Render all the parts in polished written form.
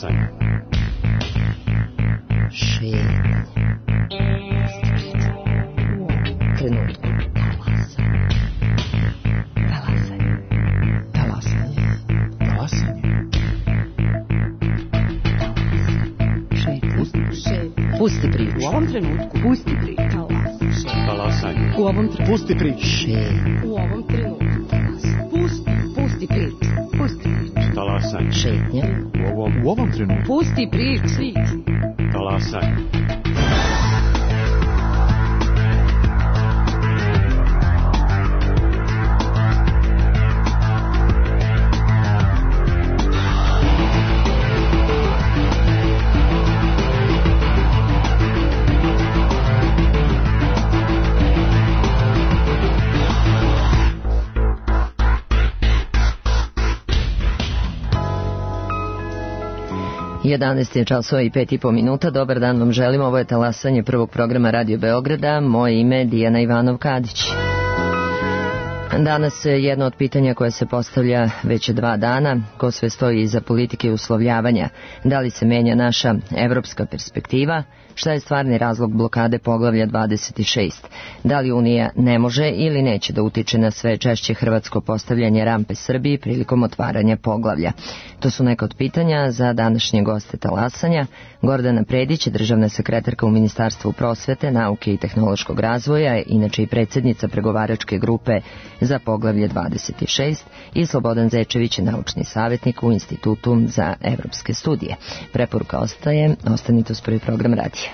Talasanje. Šetnje. Trenutku. Talasanje. Talasanje. Talasanje. Pusti priču. U ovom trenutku. Pusti priču. Talasanje. U ovom trenutku. Pusti priču. U ovom trenutku. Pusti priču. Pusti priču. Talasanje. Šetnja. U ovom trenutku. Pusti priču. Talasanje. Jedanaest je časova i 5,5 minuta. Dobar dan vam želim. Ovo je talasanje prvog programa Radio Beograda. Moje ime je Dijana Ivanov-Kadić. Danas jedno od pitanja koje se postavlja već 2 dana. Ko sve stoji iza politike uslovljavanja? Da li se menja naša evropska perspektiva? Šta je stvarni razlog blokade poglavlja 26? Da li Unija ne može ili neće da utiče na sve češće hrvatsko postavljanje rampe Srbiji prilikom otvaranja poglavlja? To su neka od pitanja za današnje goste talasanja. Gordana Predić, državna sekretarka u Ministarstvu prosvete, nauke i tehnološkog razvoja, inače i predsjednica pregovaračke grupe za poglavlje 26, i Slobodan Zečević, naučni savjetnik u Institutu za evropske studije. Preporuka ostaje, ostanite uz prvi program radija.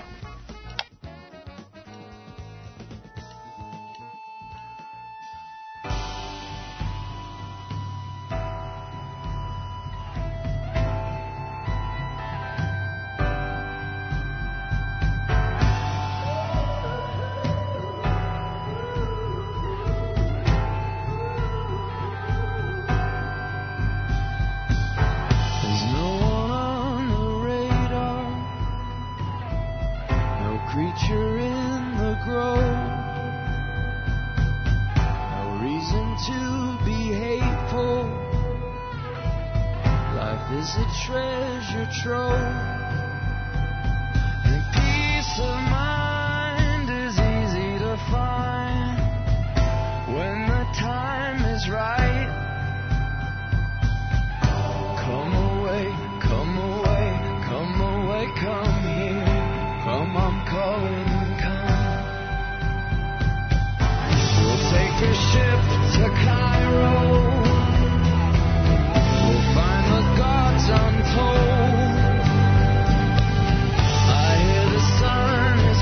Untold. I hear the sun is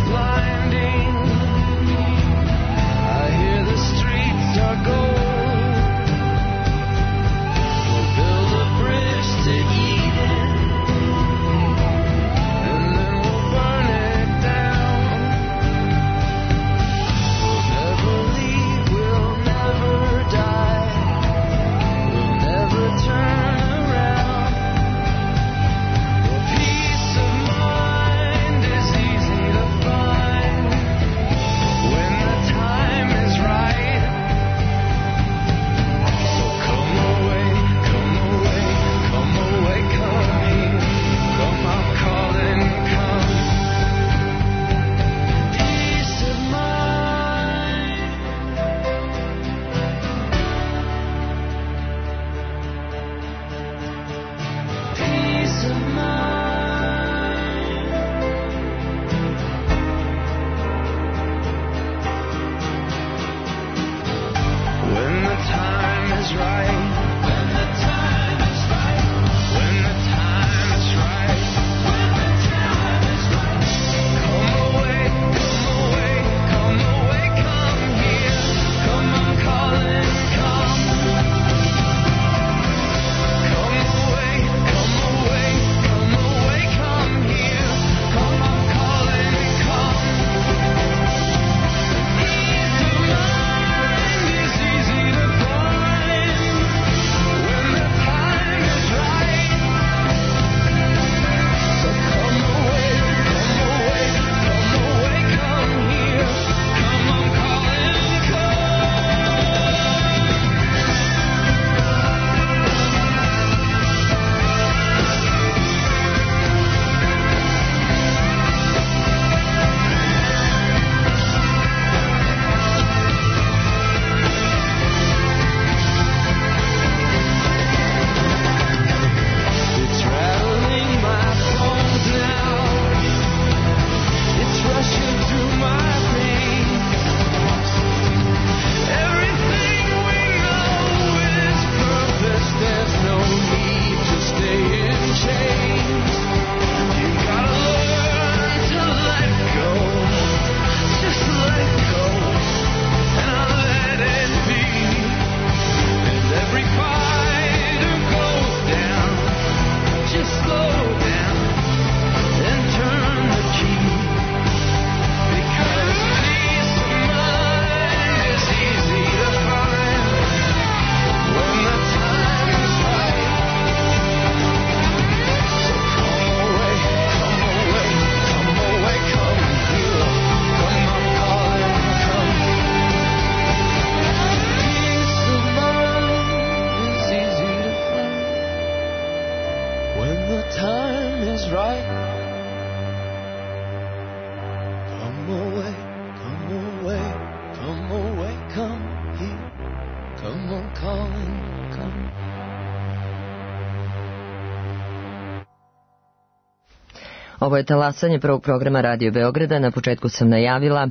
calling, come. Ovo je talasanje prvog programa Radio Beograda. Na početku sam najavila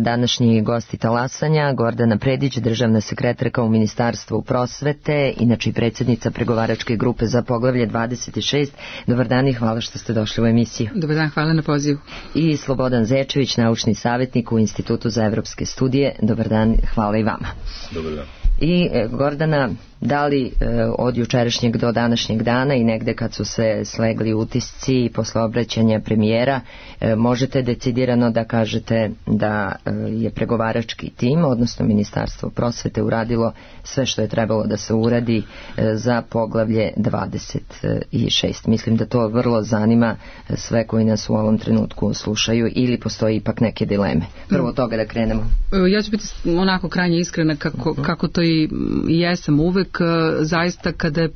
današnji gosti talasanja, Gordana Predić, državna sekretarka u Ministarstvu prosvete, inače i predsjednica pregovaračke grupe za poglavlje 26. Dobar dan i hvala što ste došli u emisiju. Dobar dan, hvala na pozivu. I Slobodan Zečević, naučni savjetnik u Institutu za evropske studije. Dobar dan, hvala i vama. Dobar dan. I Gordana, da li od jučerašnjeg do današnjeg dana i negde kad su se slegli utisci posle obraćanja premijera, možete decidirano da kažete da je pregovarački tim, odnosno Ministarstvo prosvete, uradilo sve što je trebalo da se uradi za poglavlje 26. Mislim da to vrlo zanima sve koji nas u ovom trenutku slušaju, ili postoji ipak neke dileme. Prvo od toga da krenemo. Ja ću biti onako krajnje iskrena kako to i jesam uvek. Zaista kada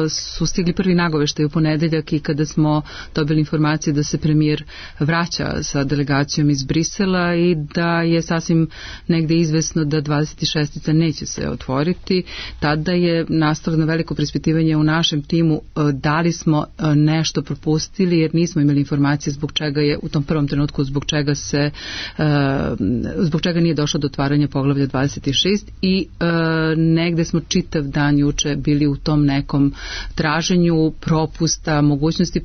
su stigli prvi nagoveštaj u ponedeljak i kada smo dobili informacije da se premijer vraća sa delegacijom iz Brisela i da je sasvim negde izvesno da 26. neće se otvoriti, tada je nastalo na veliko preispitivanje u našem timu da li smo nešto propustili, jer nismo imali informacije zbog čega je u tom prvom trenutku zbog čega nije došlo do otvaranja poglavlja 26 i negde smo čitav dan juče bili u tom nekom traženju propusta, mogućnosti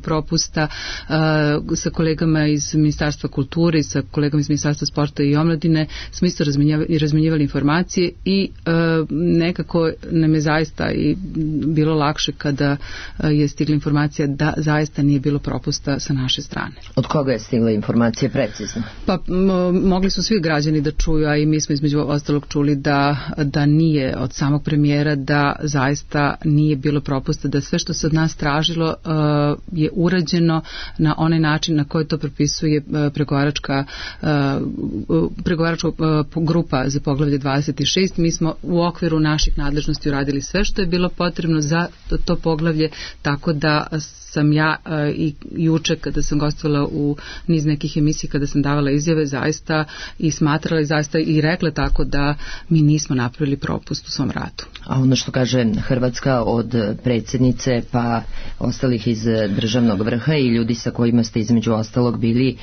propusta sa kolegama iz Ministarstva kulture i sa kolegama iz Ministarstva sporta i omladine smo isto razmenjivali informacije i nekako nam je zaista i bilo lakše kada je stigla informacija da zaista nije bilo propusta sa naše strane. Od koga je stigla informacija precizno? Pa mogli su svi građani da čuju, a i mi smo između ostalog čuli da nije od samog premijera, da zaista nije bilo propusta, da sve što se od nas tražilo je urađeno na onaj način na koji to propisuje pregovaračka grupa za poglavlje 26. Mi smo u okviru naših nadležnosti uradili sve što je bilo potrebno za to poglavlje, tako da sam ja i juče kada sam gostovala u niz nekih emisija, kada sam davala izjave, zaista i smatrala i zaista i rekla tako da mi nismo napravili propust u svom radu. A ono što kaže Hrvatska od predsjednice pa ostalih iz državnog vrha i ljudi sa kojima ste između ostalog bili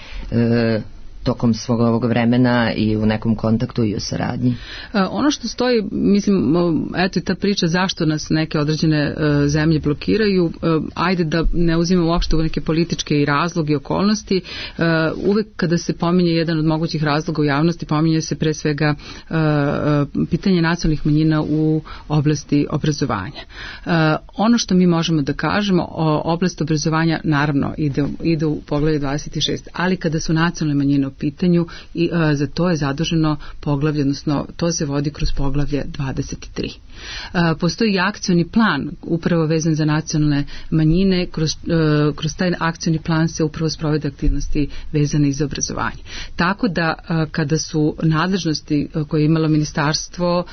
tokom svog ovog vremena i u nekom kontaktu i u saradnji? Ono što stoji, mislim, eto i ta priča zašto nas neke određene zemlje blokiraju, ajde da ne uzimamo uopšte u neke političke i razloge i okolnosti, uvek kada se pominje jedan od mogućih razloga u javnosti, pominje se pre svega pitanje nacionalnih manjina u oblasti obrazovanja. Ono što mi možemo da kažemo, oblast obrazovanja naravno ide u poglavlje 26, ali kada su nacionalne manjine u pitanju i za to je zaduženo poglavlje, odnosno to se vodi kroz poglavlje 23. Postoji i akcioni plan upravo vezan za nacionalne manjine, kroz taj akcioni plan se upravo sprovode aktivnosti vezane za obrazovanje. Tako da kada su nadležnosti koje je imalo Ministarstvo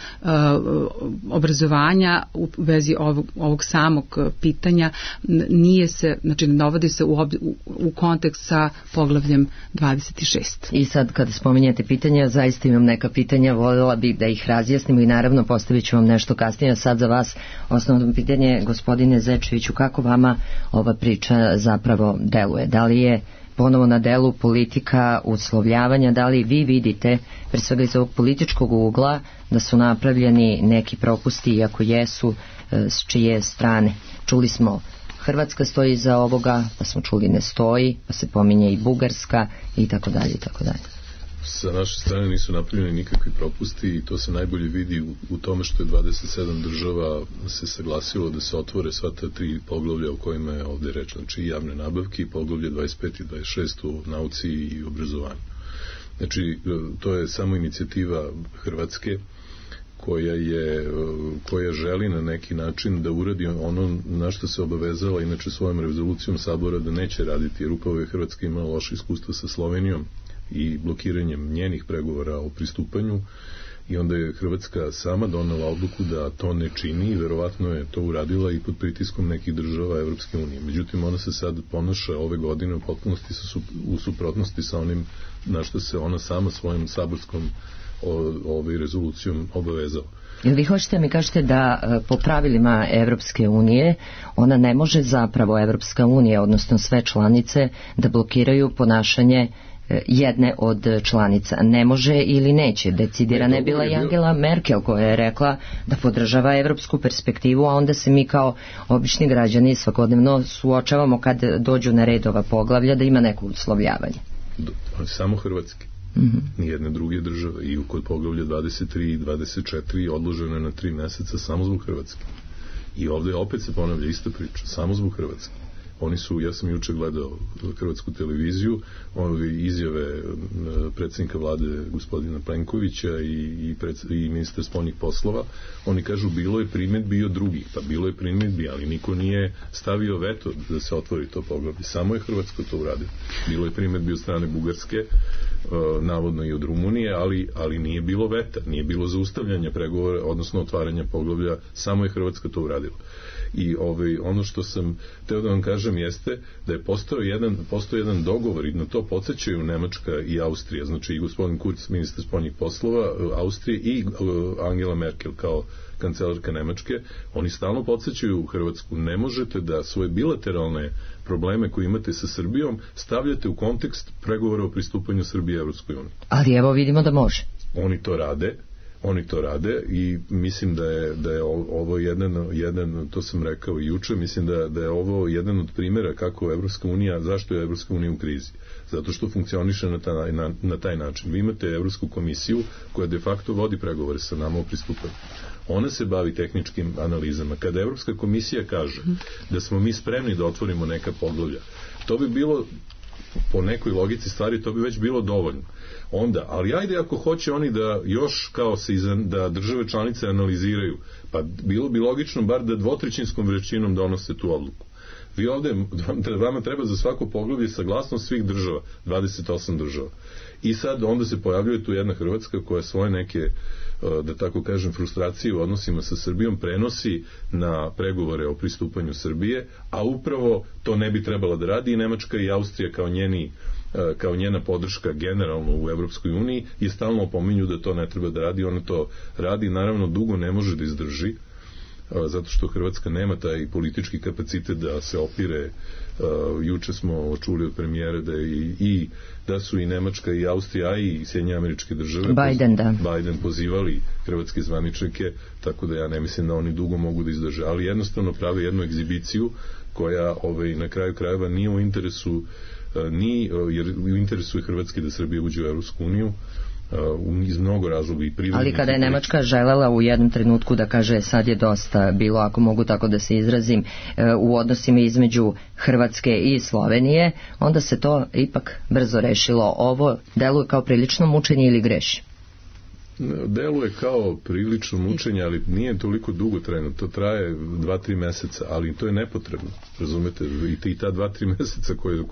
obrazovanja u vezi ovog samog pitanja nije se, znači ne dovodi se u kontekst sa poglavljem 26. I sad kada spominjate pitanja, zaista imam neka pitanja, voljela bih da ih razjasnimo i naravno postavit ću vam nešto kasnije. Sad za vas osnovno pitanje, gospodine Zečeviću, kako vama ova priča zapravo deluje? Da li je ponovo na delu politika uslovljavanja, da li vi vidite, pre svega iz ovog političkog ugla, da su napravljeni neki propusti, iako jesu, s čije strane? Čuli smo Hrvatska stoji iza ovoga, pa smo čuli ne stoji, pa se pominje i Bugarska i tako dalje i tako dalje. Sa naše strane nisu napravljeni nikakvi propusti i to se najbolje vidi u tome što je 27 država se saglasilo da se otvore sva ta 3 poglavlja o kojima je ovdje reč, znači i javne nabavke i poglavlje 25 i 26 u nauci i obrazovanju. Znači to je samo inicijativa Hrvatske koja želi na neki način da uradi ono na što se obavezala inače svojom rezolucijom Sabora da neće raditi, jer upravo je Hrvatska imala loše iskustvo sa Slovenijom i blokiranjem njenih pregovora o pristupanju i onda je Hrvatska sama donela odluku da to ne čini i verovatno je to uradila i pod pritiskom nekih država Evropske unije. Međutim, ona se sad ponaša ove godine u potpunosti u suprotnosti sa onim na što se ona sama svojom saborskom rezolucijom obavezao. Jel vi hoćete mi kažete da po pravilima Evropske unije ona ne može zapravo Evropska unija, odnosno sve članice, da blokiraju ponašanje jedne od članica? Ne može ili neće? Decidirana je bila i Angela Merkel koja je rekla da podržava evropsku perspektivu, a onda se mi kao obični građani svakodnevno suočavamo kad dođu na red ova poglavlja da ima neko uslovljavanje. Samo Hrvatske. Nijedne druge države, i kod poglavlja 23 i 24 odloženo je na 3 meseca samo zbog Hrvatske. I ovdje opet se ponavlja ista priča, samo zbog Hrvatske. Oni su, ja sam juče gledao hrvatsku televiziju, izjave predsjednika vlade gospodina Plenkovića i ministra spoljnih poslova, oni kažu bilo je primjedbi od drugih, pa bilo je primjedbi, ali niko nije stavio veto da se otvori to poglavlje. Samo je Hrvatsko to uradio. Bilo je primjedbi od strane Bugarske, navodno i od Rumunije, ali nije bilo veta, nije bilo zaustavljanja pregovora, odnosno otvaranja poglavlja, samo je Hrvatska to uradila. I ono što sam teo da vam kažem jeste da je postao jedan dogovor, i na to podsjećaju Nemačka i Austrija, znači i gospodin Kurz, ministar spoljnih poslova Austrije, i Angela Merkel kao kancelarka Nemačke. Oni stalno podsjećaju u Hrvatsku, ne možete da svoje bilateralne probleme koje imate sa Srbijom stavljate u kontekst pregovora o pristupanju Srbije Evropskoj uniji. Ali evo vidimo da može. Oni to rade i mislim da je ovo jedan, to sam rekao i juče, mislim da je ovo jedan od primjera kako Evropska unija, zašto je Evropska unija u krizi. Zato što funkcioniše na taj način. Vi imate Evropsku komisiju koja de facto vodi pregovore sa nama o pristupanju. Ona se bavi tehničkim analizama. Kada Evropska komisija kaže da smo mi spremni da otvorimo neka poglavlja, to bi bilo, po nekoj logici stvari, to bi već bilo dovoljno. Onda, ali ajde ako hoće oni da još da države članice analiziraju, pa bilo bi logično bar da 2/3 većinom donose tu odluku. Vi ovdje, vama treba za svako poglavlje saglasnost svih država, 28 država. I sad onda se pojavljuje tu jedna Hrvatska koja svoje neke, da tako kažem, frustracije u odnosima sa Srbijom prenosi na pregovore o pristupanju Srbije, a upravo to ne bi trebala da radi i Nemačka i Austrija kao njena podrška generalno u Evropskoj uniji i stalno opominju da to ne treba da radi. Ona to radi, naravno dugo ne može da izdrži, zato što Hrvatska nema taj politički kapacitet da se opire. Juče smo čuli od premijera da su i Nemačka i Austrija i Sjedinjene Američke Države Biden pozivali hrvatske zvaničnike, tako da ja ne mislim da oni dugo mogu da izdrže, ali jednostavno prave jednu egzibiciju koja na kraju krajeva nije u interesu jer u interesu je Hrvatske da Srbija uđe u Evropsku uniju iz mnogo razloga i privrednih. Ali kada je Nemačka želela u jednom trenutku da kaže sad je dosta bilo, ako mogu tako da se izrazim, u odnosima između Hrvatske i Slovenije, onda se to ipak brzo rešilo. Ovo deluje kao prilično mučenje ili greši? Deluje kao prilično mučenje, ali nije toliko dugo trajno. To traje 2-3 meseca, ali to je nepotrebno. Razumete? I ta 2-3 meseca koje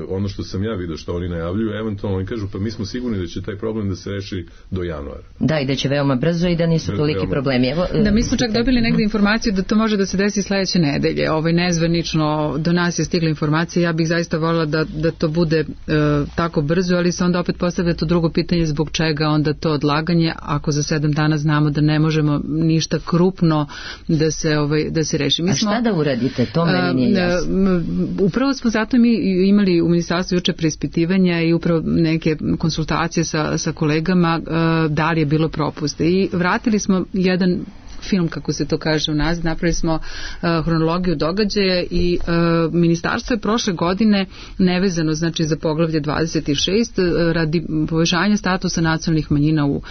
ono što sam ja vidio što oni najavljuju, eventualno oni kažu pa mi smo sigurni da će taj problem da se reši do januara. Da, i da će veoma brzo i da nisu toliki problemi. Da, mi smo čak dobili negdje informaciju da to može da se desi sledeće nedelje. Nezvanično do nas je stigla informacija. Ja bih zaista voljela da to bude tako brzo, ali se onda opet postavlja to drugo pitanje zbog čega onda to odlaganje, ako za 7 dana znamo da ne možemo ništa krupno da se reši. A šta da uradite? To meni nije jasno. Upravo smo zato mi imali u ministarstvu juče preispitivanja i upravo neke konsultacije sa kolegama da li je bilo propuste. I vratili smo jedan film, kako se to kaže u nas, napravili smo hronologiju događaja i ministarstvo je prošle godine nevezano, znači za poglavlje 26 radi povećanja statusa nacionalnih manjina u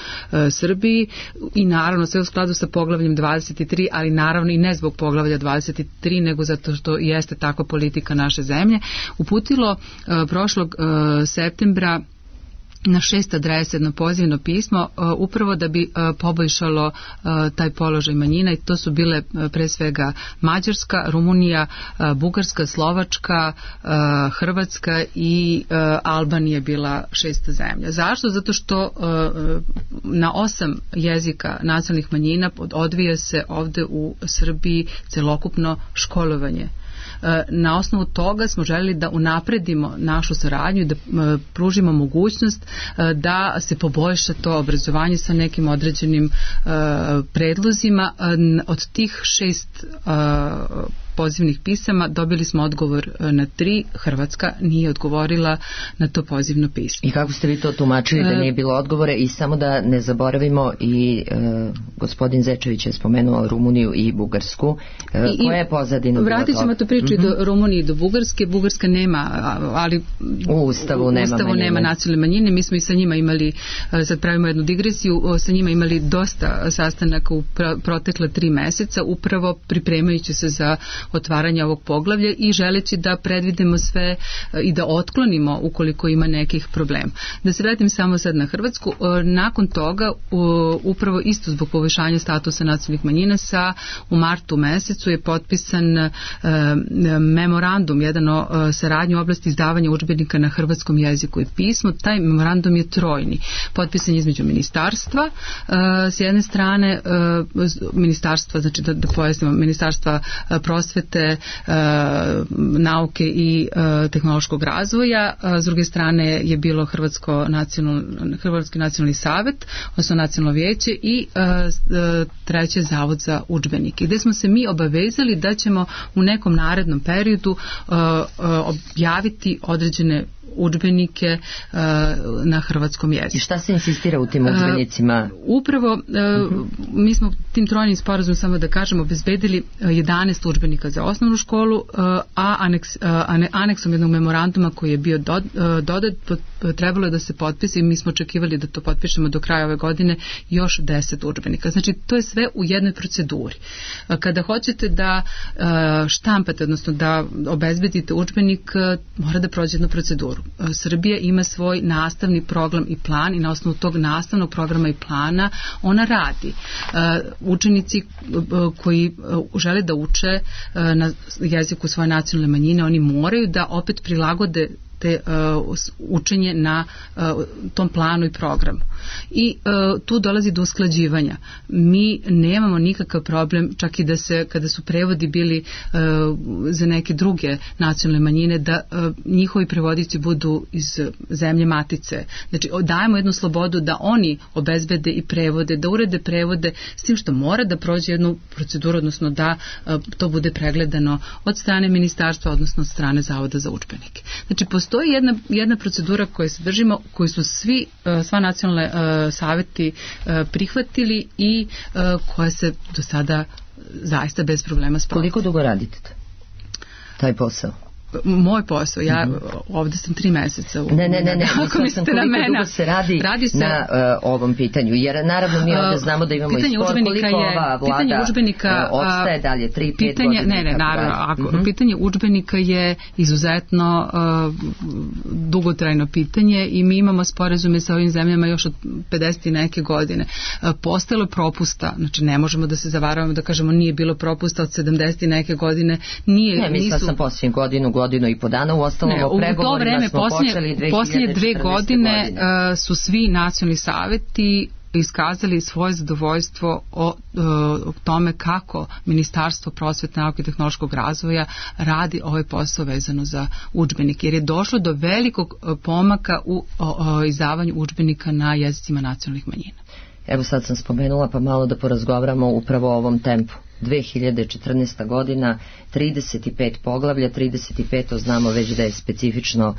Srbiji i naravno sve u skladu sa poglavljem 23, ali naravno i ne zbog poglavlja 23, nego zato što jeste takva politika naše zemlje, uputilo prošlog septembra na 6 adresa jedno pozivno pismo upravo da bi poboljšalo taj položaj manjina i to su bile pre svega Mađarska, Rumunija, Bugarska, Slovačka, Hrvatska i Albanija bila 6. zemlja. Zašto? Zato što na 8 jezika nacionalnih manjina odvija se ovde u Srbiji celokupno školovanje. Na osnovu toga smo želeli da unapredimo našu saradnju i da pružimo mogućnost da se poboljša to obrazovanje sa nekim određenim predlozima. Od tih 6 pozivnih pisama dobili smo odgovor na 3. Hrvatska nije odgovorila na to pozivno pismo. I kako ste vi to tumačili da nije bilo odgovore? I samo da ne zaboravimo, i gospodin Zečević je spomenuo Rumuniju i Bugarsku. Koja je pozadina? Vratit ćemo tu priču i do Rumunije i do Bugarske. Bugarska nema, ali u Ustavu nema nacionalne manjine. Mi smo i sa njima imali, sad pravimo jednu digresiju, sa njima imali dosta sastanaka u protekla 3 meseca, upravo pripremajući se za otvaranja ovog poglavlja i želeći da predvidimo sve i da otklonimo ukoliko ima nekih problema. Da se vratim samo sad na Hrvatsku, nakon toga upravo isto zbog poboljšanja statusa nacionalnih manjina u martu mesecu je potpisan memorandum, jedan o saradnji u oblasti izdavanja udžbenika na hrvatskom jeziku i pismu. Taj memorandum je trojni. Potpisan je između ministarstva, s jedne strane ministarstva, znači da pojasnimo, ministarstva prosvete, nauke i tehnološkog razvoja, s druge strane je bilo Hrvatski nacionalni savet, odnosno nacionalno vijeće i treće Zavod za udžbenike. Gde smo se mi obavezali da ćemo u nekom narednom periodu objaviti određene udžbenike na hrvatskom jeziku. I šta se insistira u tim udžbenicima? Upravo mi smo tim trojnim sporazumom, samo da kažemo, obezbedili 11 udžbenika za osnovnu školu, a aneksom jednog memoranduma koji je bio dodat, trebalo je da se potpisi i mi smo očekivali da to potpišemo do kraja ove godine još 10 udžbenika. Znači to je sve u jednoj proceduri. Kada hoćete da štampate, odnosno da obezbedite udžbenik, mora da prođe jednu proceduru. Srbija ima svoj nastavni program i plan i na osnovu tog nastavnog programa i plana ona radi. Učenici koji žele da uče na jeziku svoje nacionalne manjine, oni moraju da opet prilagode te učenje na tom planu i programu. I tu dolazi do usklađivanja. Mi nemamo nikakav problem, čak i da se, kada su prevodi bili za neke druge nacionalne manjine, da njihovi prevodici budu iz zemlje matice. Znači, dajemo jednu slobodu da oni obezbede i prevode, da urede prevode, s tim što mora da prođe jednu proceduru, odnosno da to bude pregledano od strane ministarstva, odnosno od strane Zavoda za udžbenike. Znači, postoji jedna procedura koju se držimo, koju su sva nacionalne saveti prihvatili i koja se do sada zaista bez problema sprovodi. Koliko dugo radite taj posao? Moj posao, ja ovde sam 3 meseca. Ne, ako mislite na mene. Dugo se radi na ovom pitanju, jer naravno mi ovde znamo da imamo i spor, koliko ova vlada odstaje dalje, 3-5 godina. Ne, naravno, pitanje udžbenika je izuzetno dugotrajno pitanje i mi imamo sporazume sa ovim zemljama još od 50 i neke godine. Postojalo propusta, znači ne možemo da se zavaravamo da kažemo nije bilo propusta od 70 i neke godine. Ne, mislila sam posljednju godinu i po dana, u ostalom o pregovorima smo počeli 2014. Posljednje 2 godine su svi nacionalni saveti iskazali svoje zadovoljstvo o tome kako Ministarstvo prosvete, nauke i tehnološkog razvoja radi ovaj posao vezano za udžbenike, jer je došlo do velikog pomaka u izdavanju udžbenika na jezicima nacionalnih manjina. Evo sad sam spomenula, pa malo da porazgovaramo upravo o ovom tempu. 2014. godina, 35 poglavlja, 35 znamo već da je specifično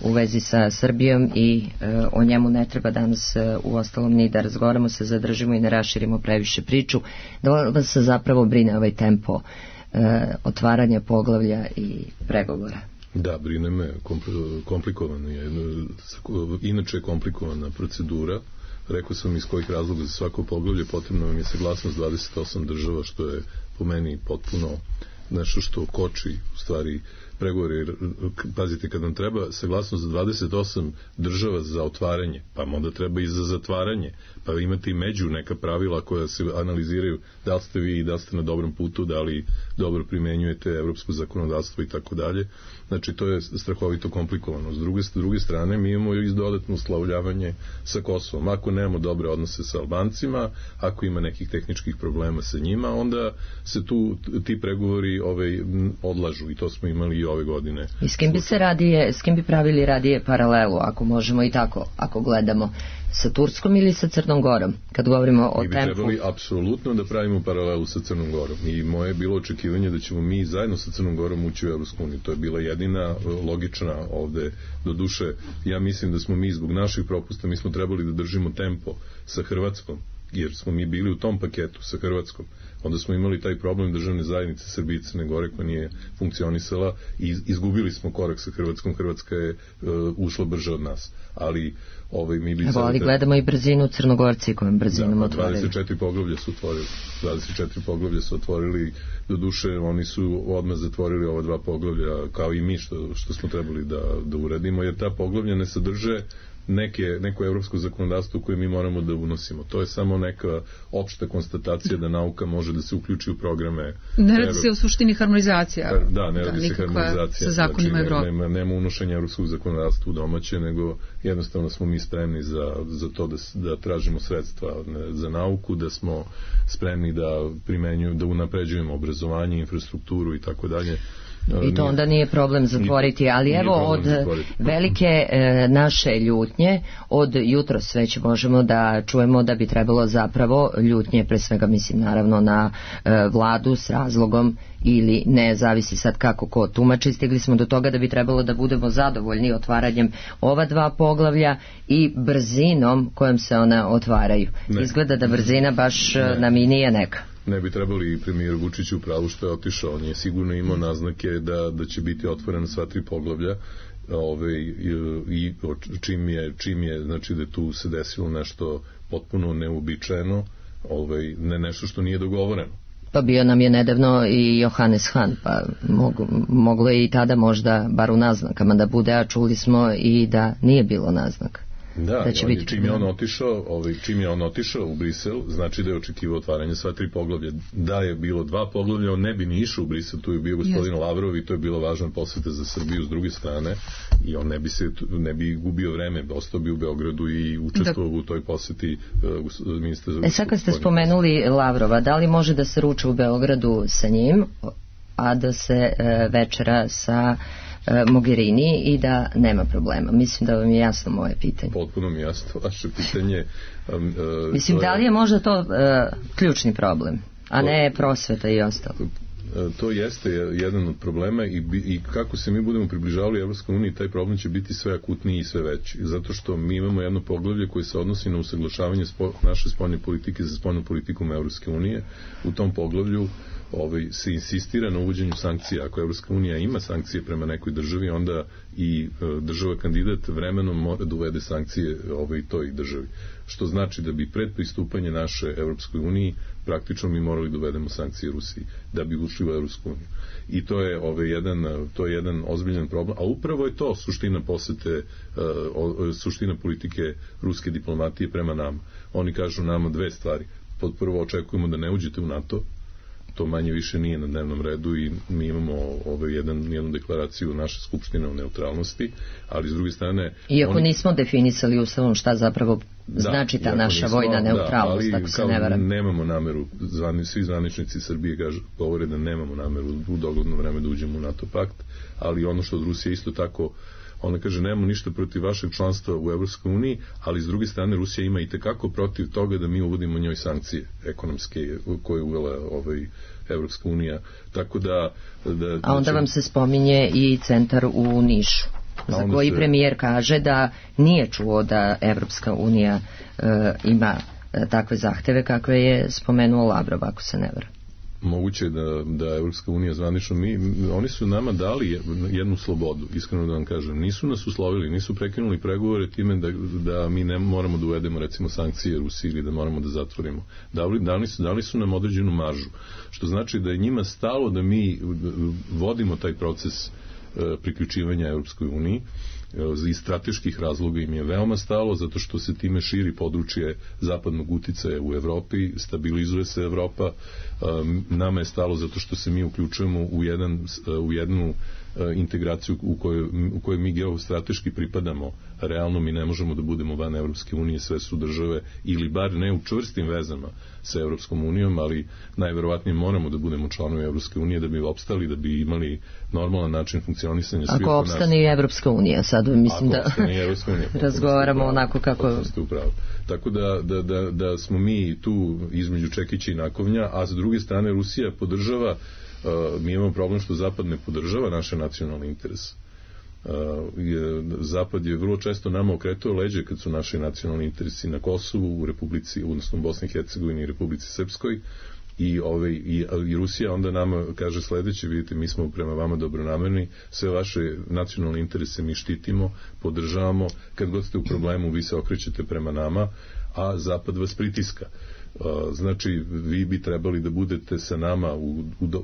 u vezi sa Srbijom i o njemu ne treba danas u ostalom ni da razgovaramo, se zadržimo i ne raširimo previše priču. Da vas se zapravo brine ovaj tempo otvaranja poglavlja i pregovora? Da, brine me, komplikovan je, inače je komplikovana procedura. Rekao sam iz kojih razloga za svako poglavlje potrebno vam je saglasnost 28 država, što je po meni potpuno nešto što koči u stvari pregovori, pazite, kad nam treba saglasnost za 28 država za otvaranje, pa onda treba i za zatvaranje, pa imate i među neka pravila koja se analiziraju da li ste vi i da li ste na dobrom putu, da li dobro primenjujete evropsko zakonodavstvo i tako dalje. Znači, to je strahovito komplikovano. S druge strane, mi imamo i dodatno uslovljavanje sa Kosovom. Ako nemamo dobre odnose sa Albancima, ako ima nekih tehničkih problema sa njima, onda se tu ti pregovori odlažu, i to smo imali i ove godine. I s kim bi pravili radije paralelu, ako možemo i tako, ako gledamo, sa Turskom ili sa Crnom Gorom, kad govorimo o tempu? Mi bi trebali apsolutno da pravimo paralelu sa Crnom Gorom, i moje je bilo očekivanje da ćemo mi zajedno sa Crnom Gorom ući u Evropsku uniju. To je bila jedina logična ovde. Do duše, ja mislim da smo mi zbog naših propusta, mi smo trebali da držimo tempo sa Hrvatskom, jer smo mi bili u tom paketu sa Hrvatskom. Onda smo imali taj problem državne zajednice Srbije i Crne Gore koja nije funkcionisala i izgubili smo korak sa Hrvatskom. Hrvatska je ušla brže od nas. Ali mi bi... Ali gledamo i brzinu Crnogorci kojom brzinom otvorili. 24 poglavlja su otvorili. Do duše, oni su odmah zatvorili ova 2 poglavlja, kao i mi što smo trebali da uradimo, jer ta poglavlja ne sadrže neko evropsko zakonodavstvo koje mi moramo da unosimo. To je samo neka opšta konstatacija da nauka može da se uključi u programe. Ne radi se o suštini harmonizacija. Da, ne radi se harmonizacija. Sa zakonima Evrope. Nema unošenja evropskog zakonodavstva u domaće, nego jednostavno smo mi spremni za to da tražimo sredstva za nauku, da smo spremni da unapređujemo obrazovanje, infrastrukturu i tako dalje. I to onda nije problem zatvoriti, ali evo od velike naše ljutnje, od jutros već možemo da čujemo da bi trebalo zapravo ljutnje, pre svega mislim naravno na vladu s razlogom ili ne, zavisi sad kako ko tumači, stigli smo do toga da bi trebalo da budemo zadovoljni otvaranjem ova 2 poglavlja i brzinom kojom se ona otvaraju. Izgleda da brzina baš nam i nije neka. Ne bi trebali premijer Vučić u pravu što je otišao. On je sigurno imao naznake da će biti otvorena sva 3 poglavlja, i čim je znači da tu se desilo nešto potpuno neuobičajeno, ne nešto što nije dogovoreno. Pa bio nam je nedavno i Johannes Hahn, pa moglo je i tada možda bar u naznakama da bude, a čuli smo i da nije bilo naznaka. Da, čim je on otišao u Brisel, znači da je očekivao otvaranje sva 3 poglavlja. Da je bilo 2 poglavlja, on ne bi ni išao u Brisel, tu je bio gospodin Lavrov i to je bilo važna poseta za Srbiju s druge strane, i on ne bi gubio vreme, ostao bi u Beogradu i učestvovao u toj poseti ministra za... Sad kad ste spomenuli Lavrova, da li može da se ruča u Beogradu sa njim, a da se večera sa Mogherini i da nema problema? Mislim da vam je jasno moje pitanje. Potpuno mi jasno vaše pitanje. Mislim, da li je možda to ključni problem, a ne prosveta i ostalo? To jeste jedan od problema, i kako se mi budemo približavali Evropskoj uniji, taj problem će biti sve akutniji i sve veći. Zato što mi imamo jedno poglavlje koje se odnosi na usaglašavanje naše spoljne politike sa spoljnom politikom Evropske unije. U tom poglavlju se insistira na uvođenju sankcija. Ako Evropska unija ima sankcije prema nekoj državi, onda i država kandidat vremenom mora da uvede sankcije toj državi. Što znači da bi pred pristupanje naše Evropskoj uniji praktično mi morali da uvedemo sankcije Rusiji da bi ušli u Evropsku uniju. I to je jedan ozbiljan problem, a upravo je to suština posete, suština politike ruske diplomatije prema nama. Oni kažu nama 2 stvari. Pod prvo, očekujemo da ne uđete u NATO, to manje više nije na dnevnom redu, i mi imamo jednu deklaraciju naše skupštine o neutralnosti, ali s druge strane... Iako nismo definisali ustavom šta zapravo znači ta naša vojna neutralnost, tako se ne varam. Nemamo nameru, svi zvaničnici Srbije govore da nemamo nameru u dogledno vreme da uđemo u NATO pakt, ali ono što od Rusije isto tako, ona kaže nemamo ništa protiv vašeg članstva u Evropskoj uniji, ali s druge strane Rusija ima i tekako protiv toga da mi uvodimo njoj sankcije ekonomske koje je uvela Evropska unija. Tako da a onda vam se spominje i centar u Nišu, za koji premijer kaže da nije čuo da Evropska unija ima takve zahteve kakve je spomenuo Lavrov, ako se ne varam. Moguće da Evropska unija zvanično, oni su nama dali jednu slobodu, iskreno da vam kažem. Nisu nas uslovili, nisu prekinuli pregovore time da mi ne moramo da uvedemo recimo sankcije Rusiji ili da moramo da zatvorimo. Dali su nam određenu maržu, što znači da je njima stalo da mi vodimo taj proces priključivanja Europskoj uniji. Iz strateških razloga im je veoma stalo, zato što se time širi područje zapadnog uticaja u Evropi, stabilizuje se Evropa. Nama je stalo zato što se mi uključujemo u jednu integraciju u kojoj mi geostrateški pripadamo. Realno mi ne možemo da budemo van Evropske unije, sve su države, ili bar ne u čvrstim vezama sa Evropskom unijom, ali najverovatnije moramo da budemo članovi Evropske unije da bi opstali, da bi imali normalan način funkcionisanja svih ako opstane i Evropska unija, sad mislim da razgovaramo onako kako... Tako da smo mi tu između čekića i nakovnja, a s druge strane Rusija podržava, mi imamo problem što Zapad ne podržava naše nacionalne interese. Zapad je vrlo često nama okretao leđe kad su naši nacionalni interesi na Kosovu, u Republici, odnosno Bosni i Hercegovini i Republici Srpskoj, i Rusija onda nama kaže sledeće: vidite, mi smo prema vama dobronamerni, sve vaše nacionalne interese mi štitimo, podržavamo, kad god ste u problemu vi se okrećete prema nama, a Zapad vas pritiska. Znači, vi bi trebali da budete sa nama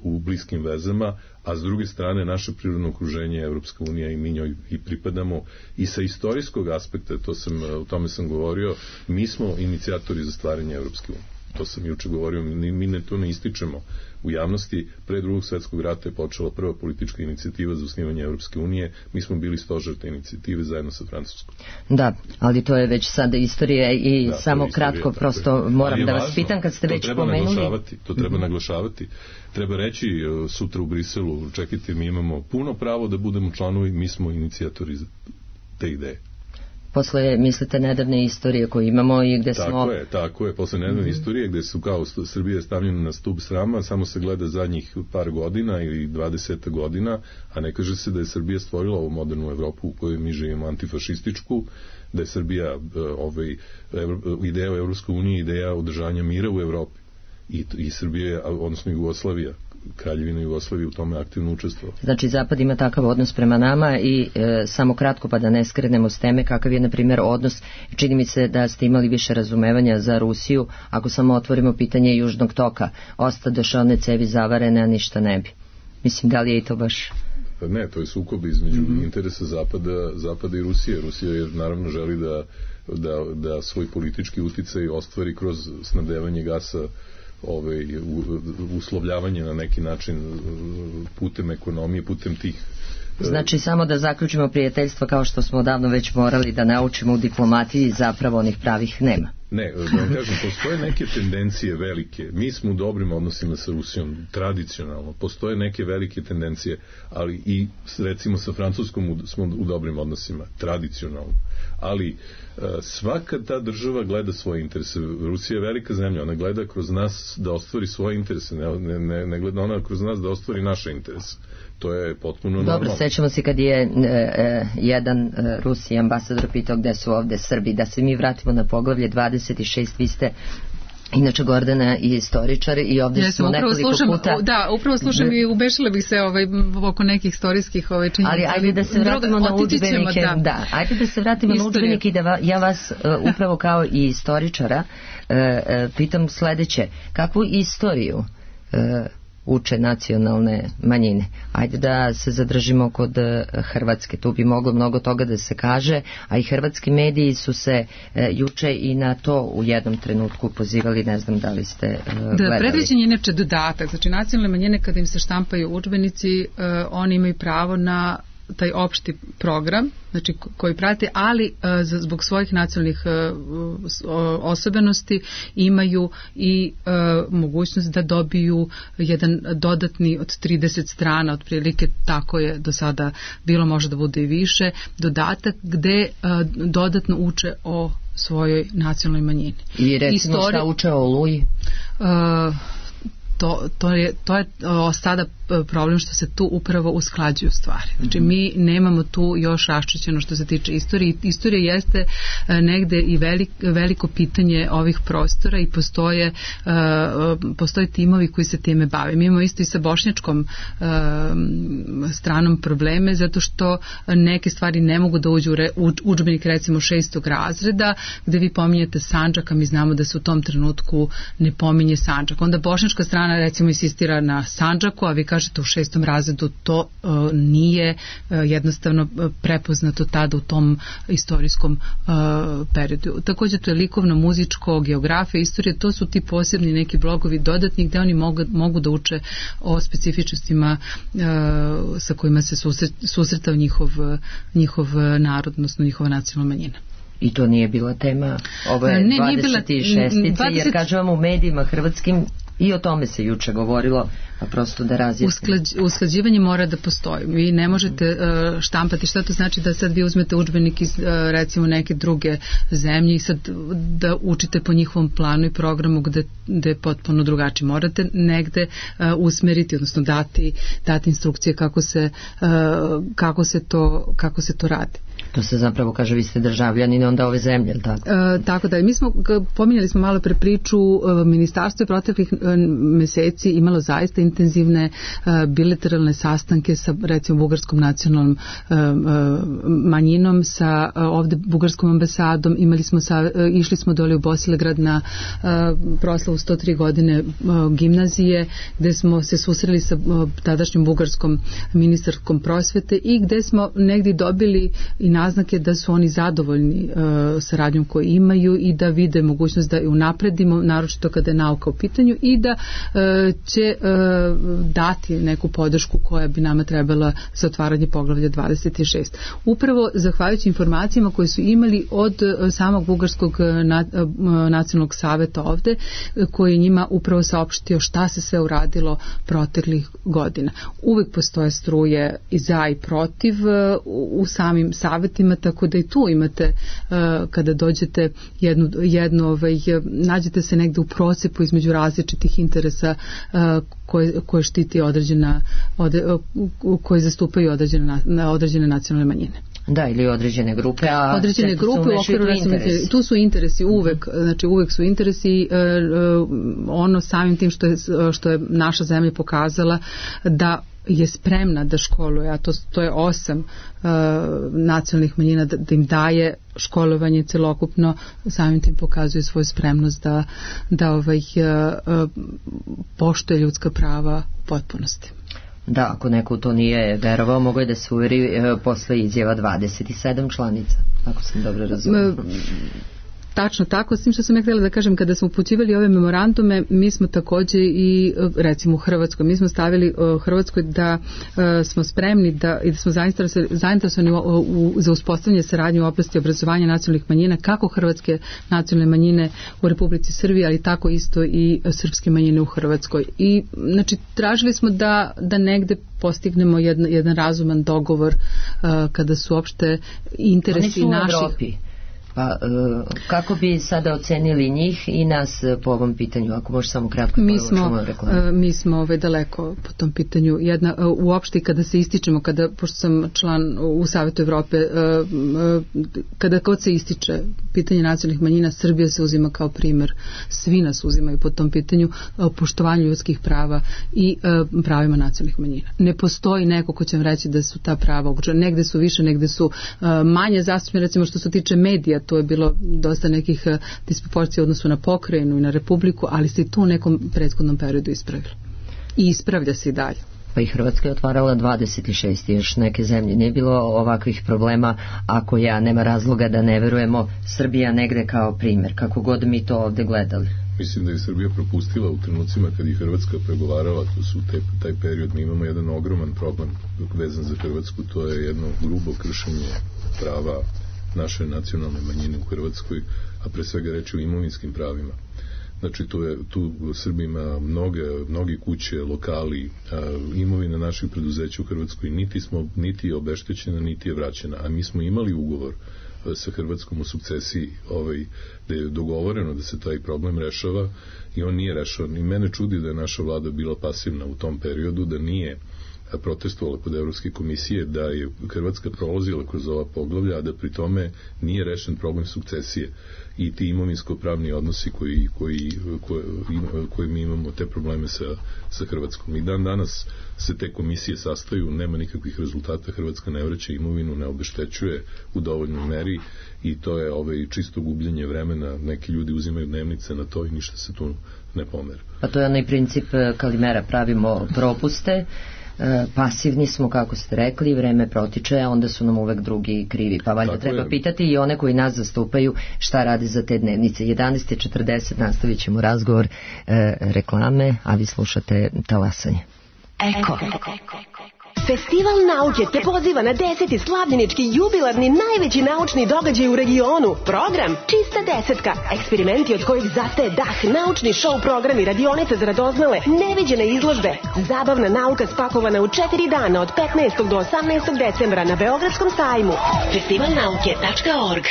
u bliskim vezama, a s druge strane naše prirodno okruženje je Evropska unija i mi njoj i pripadamo, i sa istorijskog aspekta, o tome sam govorio, mi smo inicijatori za stvaranje Evropske unije. To sam juče govorio, mi to ne ističemo u javnosti. Pre Drugog svjetskog rata je počela prva politička inicijativa za osnivanje Evropske unije. Mi smo bili stožer te inicijative zajedno sa Francuskom. Da, ali to je već sada istorija i samo kratko, prosto moram da vas pitam kad ste već pomenuli. To treba naglašavati. Treba reći sutra u Briselu, čekajte, mi imamo puno pravo da budemo članovi, mi smo inicijatori te ideje. Posle, mislite, nedavne istorije koje imamo i gde smo... Tako je, posle nedavne istorije gde su kao Srbija stavljena na stub srama, samo se gleda zadnjih par godina ili 20 godina, a ne kaže se da je Srbija stvorila ovu modernu Evropu u kojoj mi živimo, antifašističku, da je Srbija ideja o Evropskoj uniji, ideja održanja mira u Evropi. I Srbija, odnosno Jugoslavija, Kraljevina Jugoslavije u tome aktivno učestvovao. Znači, Zapad ima takav odnos prema nama i samo kratko, pa da ne skrenemo s teme, kakav je, na primjer, odnos, čini mi se da ste imali više razumevanja za Rusiju, ako samo otvorimo pitanje Južnog toka, ostadoše one cevi zavarene, a ništa ne bi. Mislim, da li je i to baš... Ne, to je sukob između interesa Zapada i Rusije. Rusija je, naravno, želi da svoj politički uticaj ostvari kroz snabdevanje gasa, uslovljavanje na neki način putem ekonomije, putem tih... Znači, samo da zaključimo, prijateljstva kao što smo odavno već morali da naučimo u diplomatiji, zapravo onih pravih nema. Ne, da vam kažem, postoje neke tendencije velike. Mi smo u dobrim odnosima sa Rusijom, tradicionalno. Postoje neke velike tendencije, ali i recimo sa Francuskom smo u dobrim odnosima, tradicionalno. Ali svaka ta država gleda svoje interese. Rusija je velika zemlja, ona gleda kroz nas da ostvari svoje interese, ne gleda ona kroz nas da ostvari naše interese. To je potpuno normalno. Dobro, sećamo se kad je jedan Rusi ambasador pitao gde su ovde Srbi, da se mi vratimo na poglavlje 26, vi ste inače Gordana i istoričar i ovdje smo nekoliko puta... Da, upravo slušam i ubešila bih se oko nekih istorijskih činjenica. Ali ajde da se vratimo na udžbenike. Da, ajde da se vratimo na udžbenike i da ja vas upravo kao i istoričara pitam sledeće. Kakvu istoriju uče nacionalne manjine? Ajde da se zadržimo kod Hrvatske, tu bi moglo mnogo toga da se kaže, a i hrvatski mediji su se juče i na to u jednom trenutku pozivali, ne znam da li ste gledali. Da, predviđen je inače dodatak, znači nacionalne manjine kada im se štampaju udžbenici, oni imaju pravo na taj opšti program, znači koji prate, ali zbog svojih nacionalnih osobenosti imaju i mogućnost da dobiju jedan dodatni od 30 strana, otprilike tako je do sada bilo, može da bude i više, dodatak gde dodatno uče o svojoj nacionalnoj manjini. I recimo šta uče o Oluji? To je sada problem što se tu upravo usklađuju stvari. Znači mi nemamo tu još raščišćeno što se tiče istorije. Istorija jeste negde i veliko pitanje ovih prostora i postoje timovi koji se time bave. Mi imamo isto i sa bošnjačkom stranom probleme zato što neke stvari ne mogu da uđu u udžbenik recimo 6. razreda gde vi pominjete Sandžak, a mi znamo da se u tom trenutku ne pominje Sandžak. Onda bošnjačka strana recimo insistira na Sandžaku, a vi kažete kažete u 6. razredu, to nije jednostavno prepoznato tada u tom istorijskom periodu. Također to je likovno, muzičko, geografija, istorija, to su ti posebni neki blogovi dodatni gde oni mogu da uče o specifičnostima sa kojima se susretao njihov narod, odnosno njihova nacionalna manjina. I to nije bila tema ove 26-ice, jer kažem u medijima hrvatskim i o tome se juče govorilo, a prosto da razjasnimo. Usklađivanje mora da postoji. Vi ne možete štampati. Šta to znači da sad vi uzmete udžbenik iz recimo neke druge zemlje i sad da učite po njihovom planu i programu gde je potpuno drugačije. Morate negde usmeriti, odnosno dati instrukcije kako se to radi. To se zapravo kaže, vi ste državljanin onda ove zemlje, ili tako? Tako da, mi smo, pominjali smo malo pre priču, ministarstvo je proteklih meseci imalo zaista intenzivne bilateralne sastanke sa recimo bugarskom nacionalnom manjinom, sa ovde bugarskom ambasadom, išli smo dole u Bosilegrad na proslavu 103 godine gimnazije, gde smo se susreli sa tadašnjom bugarskom ministarskom prosvete i gde smo negdje dobili i naznake da su oni zadovoljni saradnjom koju imaju i da vide mogućnost da je unapredimo, naročito kada je nauka u pitanju, i da će dati neku podršku koja bi nama trebala za otvaranje poglavlja 26. Upravo zahvaljujući informacijama koje su imali od samog bugarskog nacionalnog saveta ovde, koji je njima upravo saopštio šta se sve uradilo proteklih godina. Uvek postoje struje i za i protiv u samim savetima, tako da i tu imate kada dođete nađete se negde u procepu između različitih interesa koje štiti koje zastupaju određene nacionalne manjine. Da, ili određene grupe, a određene grupe u okviru tu su interesi uvek, znači uvek su interesi, ono samim tim što je naša zemlja pokazala da je spremna da školuje, a to je 8 nacionalnih manjina, da im daje školovanje celokupno, samim tim pokazuje svoju spremnost da poštuje ljudska prava u potpunosti. Da, ako neko to nije verovao, mogo je da se uveri posle izjava 27 članica, ako sam dobro razumela. Tačno tako, s tim što sam ja htjela da kažem, kada smo upućivali ove memorandume, mi smo također i recimo u Hrvatskoj, mi smo stavili Hrvatskoj da smo spremni i da smo zainteresovani za uspostavljanje saradnje u oblasti obrazovanja nacionalnih manjina, kako hrvatske nacionalne manjine u Republici Srbiji, ali tako isto i srpske manjine u Hrvatskoj. I znači tražili smo da negde postignemo jedan razuman dogovor kada su uopšte interesi naših. Pa kako bi sada ocenili njih i nas po ovom pitanju, ako možeš samo kratko mi smo daleko po tom pitanju. Uopšte kada se ističemo, pošto sam član u Savetu Evrope, kada god se ističe pitanje nacionalnih manjina, Srbija se uzima kao primer, svi nas uzimaju po tom pitanju, poštovanju ljudskih prava i pravima nacionalnih manjina. Ne postoji neko ko će vam reći da su ta prava ugrožena. Negde su više, negde su manje zastupljene, recimo što se tiče medija, to je bilo dosta nekih disproporcija u odnosu na pokrajinu i na republiku, ali se i to u nekom prethodnom periodu ispravilo. I ispravlja se i dalje. Pa i Hrvatska je otvarala 26 i još neke zemlje. Nije bilo ovakvih problema, ako nema razloga da ne verujemo, Srbija negde kao primjer, kako god mi to ovde gledali. Mislim da je Srbija propustila u trenucima kad je Hrvatska pregovarala, to su taj period, mi imamo jedan ogroman problem vezan za Hrvatsku, to je jedno grubo kršenje prava naše nacionalne manjine u Hrvatskoj, a pre svega reći o imovinskim pravima. Znači tu Srbi ima mnogi kuće, lokali, imovina naših preduzeća u Hrvatskoj niti je obeštećena, niti je vraćena, a mi smo imali ugovor sa Hrvatskom u sukcesiji gde je dogovoreno da se taj problem rešava i on nije rešavan. I mene čudi da je naša vlada bila pasivna u tom periodu, da nije protestovala kod Evropske komisije, da je Hrvatska prolazila kroz ova poglavlja, a da pri tome nije rešen problem sukcesije i ti imovinsko-pravni odnosi koji mi imamo, te probleme sa Hrvatskom. I dan danas se te komisije sastaju, nema nikakvih rezultata, Hrvatska ne vraća imovinu, ne obeštećuje u dovoljnoj meri i to je čisto gubljenje vremena, neki ljudi uzimaju dnevnice na to i ništa se tu ne pomera. Pa to je onaj princip Kalimera, pravimo propuste, pasivni smo, kako ste rekli, vreme protiče, a onda su nam uvek drugi krivi. Pa valjda treba pitati i one koji nas zastupaju šta radi za te dnevnice. 11:40 nastavit ćemo razgovor, reklame, a vi slušate Talasanje. Eko. Festival nauke te poziva na 10. slavljenički jubilarni najveći naučni događaj u regionu. Program Čista desetka. Eksperimenti od kojih zastaje dah, naučni show programi, radionice za radoznale, neviđene izložbe. Zabavna nauka spakovana u 4 dana od 15. do 18. decembra na Beogradskom sajmu. festivalnauke.org.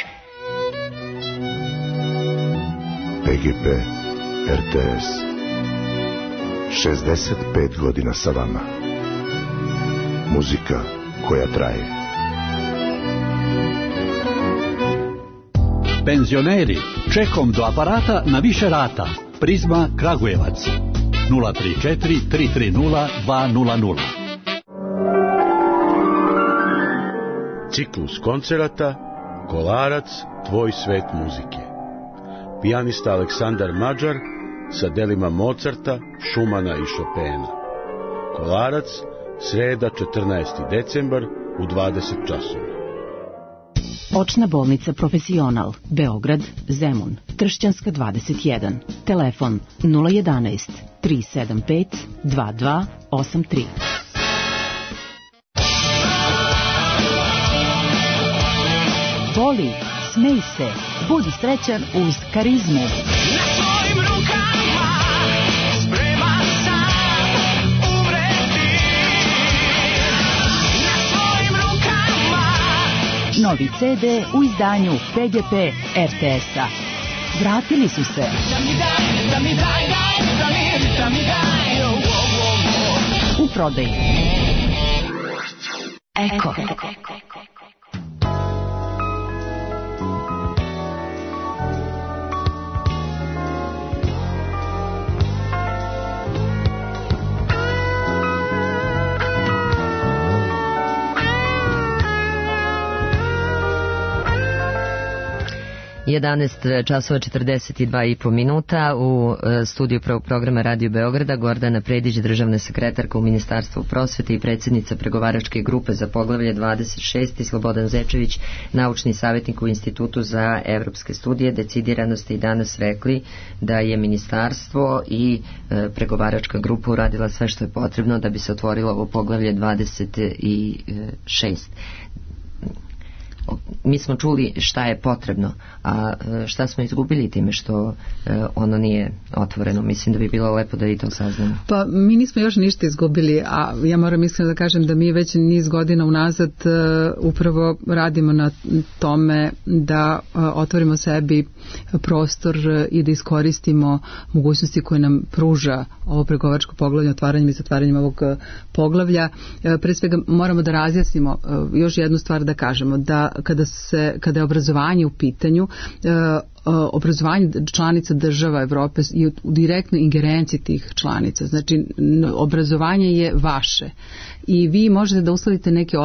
PGP RTS 65 godina sa vama. Muzika koja traje. Penzioneri, čekom do aparata na više rata. Prizma Kragujevac 034 330 200. Ciklus koncerata Kolarac, tvoj svet muzike. Pijanista Aleksandar Mađar sa delima Mozarta, Šumana i Šopena. Kolarac, sreda 14. decembar u 20 časova. Očna bolnica Profesional, Beograd, Zemun, Tršćanska 21. Telefon 011 375 2283. Voli, smej se, budi srećan uz Karizmu. Novi CD u izdanju PGP RTS-a. Vratili su se. U prodaji. Eko. 11 časova 42,5 minuta u studiju prvog programa Radio Beograda Gordana Predić, državna sekretarka u Ministarstvu prosvete i predsjednica pregovaračke grupe za poglavlje 26 i Slobodan Zečević, naučni savjetnik u Institutu za evropske studije. Decidirano ste i danas rekli da je Ministarstvo i pregovaračka grupa uradila sve što je potrebno da bi se otvorilo ovo poglavlje 26. Mi smo čuli šta je potrebno, a šta smo izgubili time što ono nije otvoreno. Mislim da bi bilo lepo da i to saznamo. Pa mi nismo još ništa izgubili, a ja moram iskreno da kažem da mi već niz godina unazad upravo radimo na tome da otvorimo sebi prostor i da iskoristimo mogućnosti koje nam pruža ovo pregovaračko poglavlje, otvaranjem i zatvaranjem ovog poglavlja. Pre svega moramo da razjasnimo još jednu stvar, da kažemo da kada je obrazovanje u pitanju, obrazovanje članica država Evrope i u direktnoj ingerenciji tih članica. Znači, obrazovanje je vaše i vi možete da usladite neke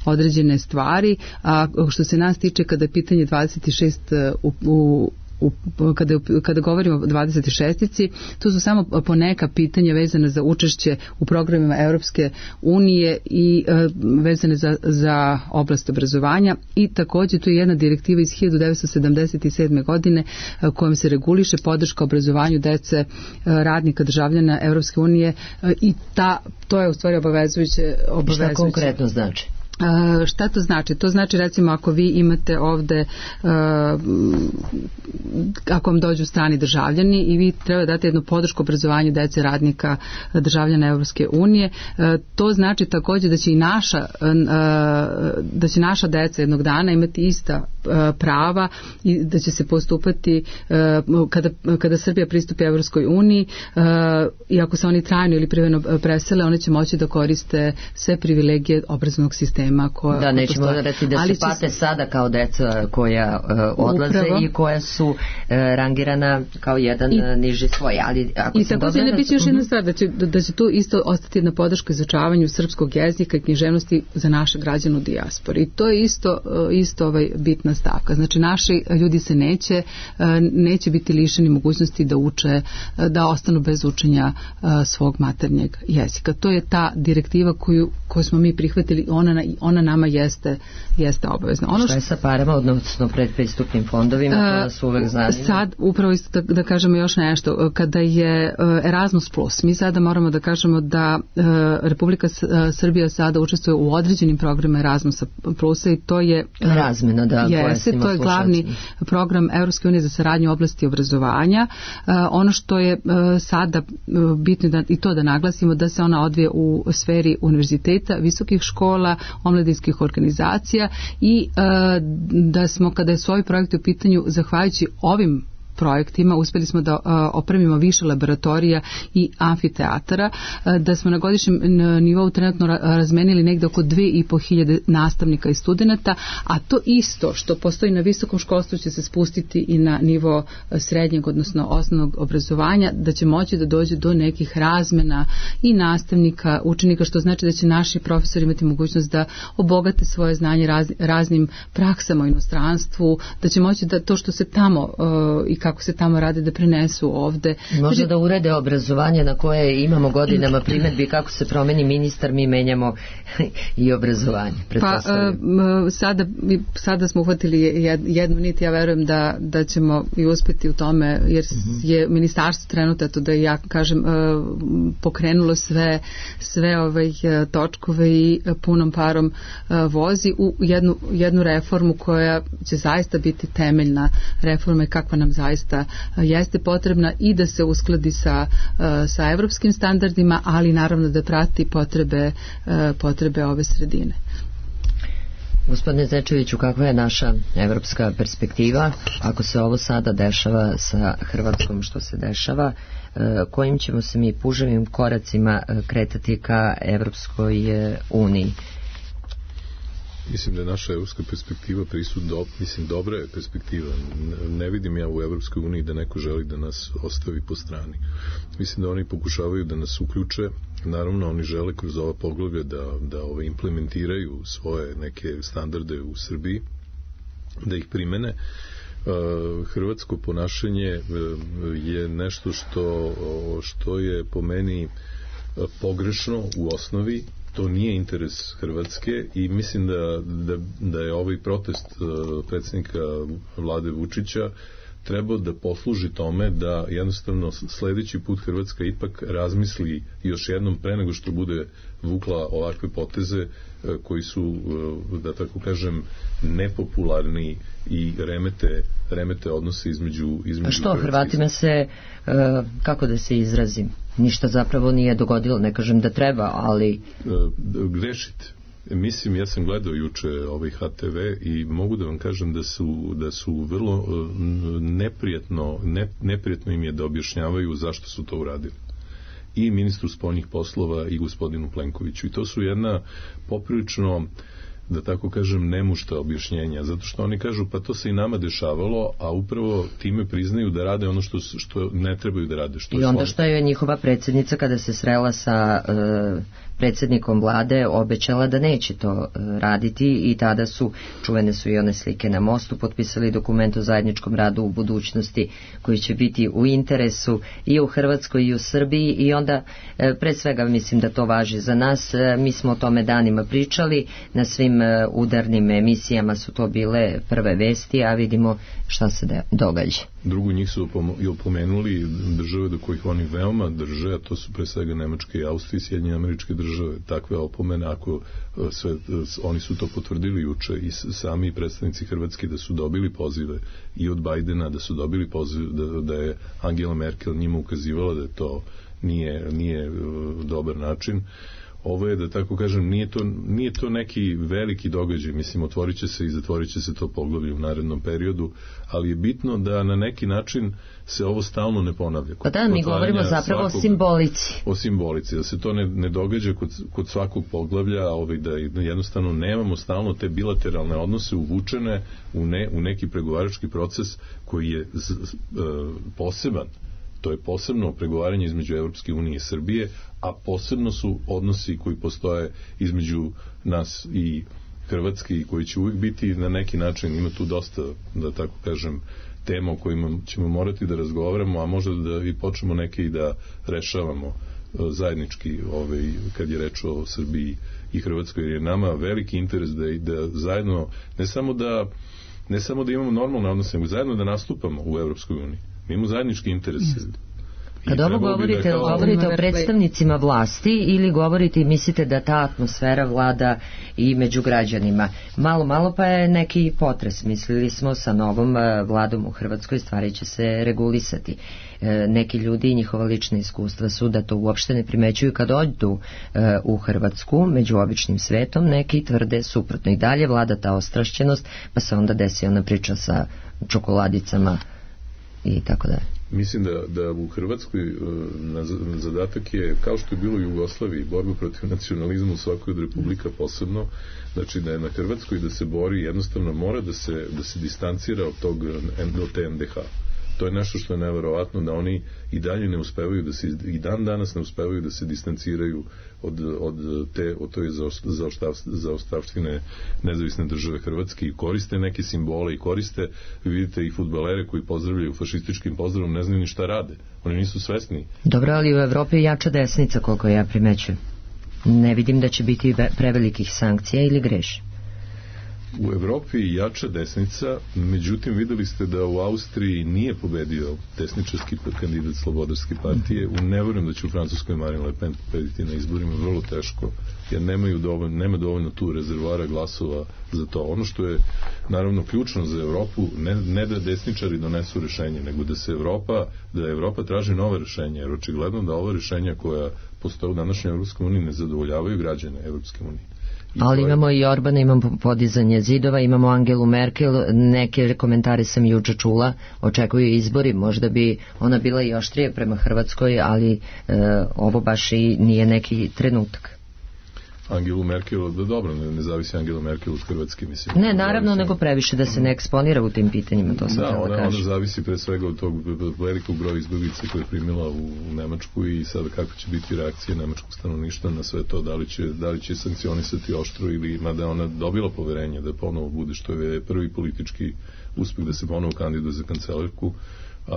određene stvari, a što se nas tiče, kada je pitanje 26 kada govorimo o 26-ici, to su samo poneka pitanja vezane za učešće u programima Europske unije i vezane za oblast obrazovanja, i također tu je jedna direktiva iz 1977. godine kojom se reguliše podrška obrazovanju dece radnika državljana Europske unije, i to je u stvari obavezujuće. Šta konkretno znači? Šta to znači? To znači, recimo, ako vi imate ovde, ako vam dođu strani državljani i vi treba dati jednu podršku obrazovanju dece radnika državljana Evropske unije, to znači također da će naša deca jednog dana imati ista prava i da će se postupati kada Srbija pristupi Evropskoj uniji, i ako se oni trajno ili privremeno presele, oni će moći da koriste sve privilegije obrazovnog sistema problema koja da, nećemo postoje. reći da se pate sada kao deca koja odlaze upravo, i koja su rangirana kao jedan niži svoj. Ali ako i također ne biti još jedna stvar, da će tu isto ostati jedna podrška izučavanju srpskog jezika i književnosti za naše građane u dijaspori. I to je isto bitna stavka. Znači naši ljudi se neće biti lišeni mogućnosti da uče, da ostanu bez učenja svog maternjeg jezika. To je ta direktiva koju smo mi prihvatili, ona nama jeste obavezna. Šta je sa parama, odnosno predpristupnim fondovima, to nas uvek zanima? Sad, upravo isto da kažemo još nešto, kada je Erasmus Plus, mi sada moramo da kažemo da Republika Srbija sada učestvuje u određenim programima Erasmusa Plusa i to je razmena, da, to je glavni program Evropske unije za saradnju u oblasti obrazovanja. Ono što je sada bitno i to da naglasimo, da se ona odvije u sferi univerziteta, visokih škola, omladinskih organizacija i da smo, kada su ovi projekti u pitanju, zahvaljujući ovim projektima uspjeli smo da opremimo više laboratorija i amfiteatara, da smo na godišnjem nivou trenutno razmenili negde oko 2500 nastavnika i studenata, a to isto što postoji na visokom školstvu će se spustiti i na nivo srednjeg, odnosno osnovnog obrazovanja, da će moći da dođe do nekih razmena i nastavnika, učenika, što znači da će naši profesori imati mogućnost da obogate svoje znanje raznim praksama u inostranstvu, da će moći da to što se tamo i kako se tamo rade da prenesu ovde. Možda da urede obrazovanje na koje imamo godinama primedbi, kako se promeni ministar, mi menjamo i obrazovanje. Pa sada smo uhvatili jednu nit, ja verujem da ćemo i uspeti u tome, jer je ministarstvo trenutno, da ja kažem, pokrenulo sve točkove i punom parom vozi u jednu reformu koja će zaista biti temeljna reforma i kakva nam zaista jeste potrebna i da se uskladi sa evropskim standardima, ali naravno da prati potrebe ove sredine. Gospodine Zečeviću, kakva je naša evropska perspektiva ako se ovo sada dešava sa Hrvatskom što se dešava, kojim ćemo se mi puževim koracima kretati ka Evropskoj uniji? Mislim da je naša evropska perspektiva dobra je perspektiva. Ne vidim ja u Evropskoj uniji da neko želi da nas ostavi po strani. Mislim da oni pokušavaju da nas uključe. Naravno, oni žele kroz ova poglavlja da implementiraju svoje neke standarde u Srbiji, da ih primene. Hrvatsko ponašanje je nešto što je po meni pogrešno u osnovi. To nije interes Hrvatske i mislim da je ovaj protest predsjednika vlade Vučića trebao da posluži tome da jednostavno sledeći put Hrvatska ipak razmisli još jednom pre nego što bude vukla ovakve poteze koji su, da tako kažem, nepopularni i remete odnose između a što, Hrvatima se, kako da se izrazim, ništa zapravo nije dogodilo, ne kažem da treba, ali... Grešite. Mislim, ja sam gledao juče ovaj HTV i mogu da vam kažem da su vrlo neprijatno im je da objašnjavaju zašto su to uradili. I ministru spoljnih poslova i gospodinu Plenkoviću. I to su jedna poprilično, da tako kažem, nemušta objašnjenja, zato što oni kažu pa to se i nama dešavalo, a upravo time priznaju da rade ono što ne trebaju da rade. I onda što je njihova predsjednica kada se srela sa predsjednikom vlade obećala da neće to raditi i tada čuvene su i one slike na mostu, potpisali dokument o zajedničkom radu u budućnosti koji će biti u interesu i u Hrvatskoj i u Srbiji i onda pre svega mislim da to važi za nas. Mi smo o tome danima pričali, na svim udarnim emisijama su to bile prve vesti, a vidimo šta se događa. Drugo, njih su i opomenuli države do kojih oni veoma drže, a to su pre svega Nemačke i Austrije i Sjedinjene Američke Države. Takve opomene, ako oni su to potvrdili juče i sami predstavnici Hrvatske da su dobili pozive i od Bajdena, da su dobili poziv da je Angela Merkel njima ukazivala da to nije dobar način. ovo je, da tako kažem, nije to neki veliki događaj, mislim, otvorit će se i zatvorit će se to poglavlje u narednom periodu, ali je bitno da na neki način se ovo stalno ne ponavlja. Pa da, mi govorimo zapravo o simbolici. O simbolici, da se to ne događa kod svakog poglavlja, da jednostavno nemamo stalno te bilateralne odnose uvučene u neki pregovarački proces koji je poseban. To je posebno pregovaranje između Evropske unije i Srbije, a posebno su odnosi koji postoje između nas i Hrvatske i koji će uvijek biti na neki način, ima tu dosta, da tako kažem, tema o kojima ćemo morati da razgovaramo, a možda da i počnemo neke i da rešavamo zajednički kad je reč o Srbiji i Hrvatskoj, jer je nama veliki interes da zajedno, ne samo da imamo normalne odnose, nego zajedno da nastupamo u Evropskoj uniji. Mi imamo zajednički interes. Kad ovo govorite o predstavnicima vlasti ili govorite i mislite da ta atmosfera vlada i među građanima? Malo pa je neki potres. Mislili smo sa novom vladom u Hrvatskoj stvari će se regulisati. Neki ljudi i njihova lična iskustva su da to uopšte ne primećuju kad dođu u Hrvatsku među običnim svetom, neki tvrde suprotno. I dalje vlada ta ostrašćenost, pa se onda desi ona priča sa čokoladicama i tako dalje. Mislim da u Hrvatskoj zadatak je, kao što je bilo u Jugoslaviji, borba protiv nacionalizma u svakoj od republika posebno, znači da je na Hrvatskoj da se bori, jednostavno mora da se distancira od te NDH. To je nešto što je neverovatno, da oni i dalje ne uspevaju i dan danas ne uspevaju da se distanciraju od toj zaostavštine nezavisne države Hrvatske i koriste neke simbole i koriste, vidite, i fudbalere koji pozdravljaju fašističkim pozdravom, ne znaju ni šta rade. Oni nisu svesni. Dobro, ali u Evropi je jača desnica, koliko ja primećujem. Ne vidim da će biti prevelikih sankcija, ili grešim? U Evropi je jača desnica, međutim videli ste da u Austriji nije pobedio desničarski kandidat Slobodarske partije. Ne verujem da će u Francuskoj Marine Le Pen pobediti na izborima, vrlo teško, jer nema dovoljno tu rezervoara glasova za to. Ono što je naravno ključno za Evropu, ne da desničari donesu rešenje, nego da Evropa traži nove rešenje, jer očigledno da ova rešenja koja postoje u današnjoj Evropskoj uniji ne zadovoljavaju građane Evropske unije. Ali imamo i Orbana, imamo podizanje zidova, imamo Angelu Merkel, neke komentare sam juče čula, očekuju izbori, možda bi ona bila i oštrije prema Hrvatskoj, ali ovo baš i nije neki trenutak. Angelu Merkel, da dobro, ne zavisi Angela Merkel od Hrvatske, mislim. Ne, naravno, nego previše da se ne eksponira u tim pitanjima, to sam htjela da kažem. Ona zavisi pre svega od tog velikog broja izbjeglica koje je primila u Nemačku i sada kako će biti reakcija nemačkog stanovništva na sve to, da li će sankcionisati oštro ili, mada ona dobila poverenje da ponovo bude, što je prvi politički uspeh da se ponovo kandiduje za kancelarku, a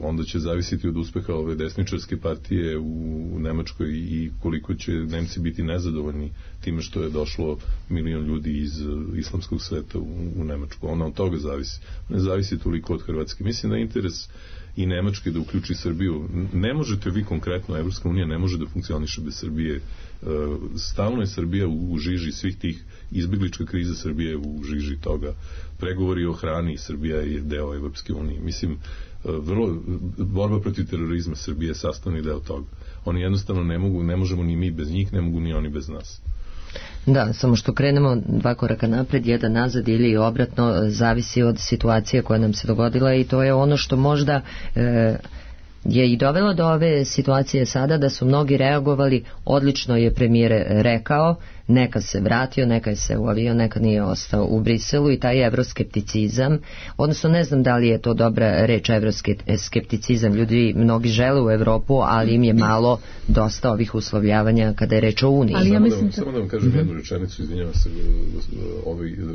onda će zavisiti od uspeha ove desničarske partije u Nemačkoj i koliko će Nemci biti nezadovoljni time što je došlo 1 milion ljudi iz islamskog sveta u Nemačku. Ona od toga zavisi. Ne zavisi toliko od Hrvatske. Mislim da je interes i Nemačke da uključi Srbiju. Ne možete vi konkretno, Evropska unija ne može da funkcioniše bez Srbije. Stalno je Srbija u žiži svih tih izbjeglička kriza, Srbije u žiži toga. Pregovori o hrani, Srbija je deo Evropske unije. Mislim, borba protiv terorizma, Srbije je sastavni deo toga. Oni jednostavno ne možemo ni mi bez njih, ne mogu ni oni bez nas. Da, samo što krenemo 2 koraka napred, 1 nazad ili obratno, zavisi od situacije koja nam se dogodila i to je ono što možda je i dovelo do ove situacije sada, da su mnogi reagovali, odlično je premijer rekao, neka se vratio, neka se uvalio, neka nije ostao u Briselu, i taj evroskepticizam, odnosno ne znam da li je to dobra reč, evroskepticizam, ljudi mnogi žele u Evropu, ali im je malo dosta ovih uslovljavanja kada je reč o Uniji. Samo da vam kažem jednu rečenicu, izvinjavam se,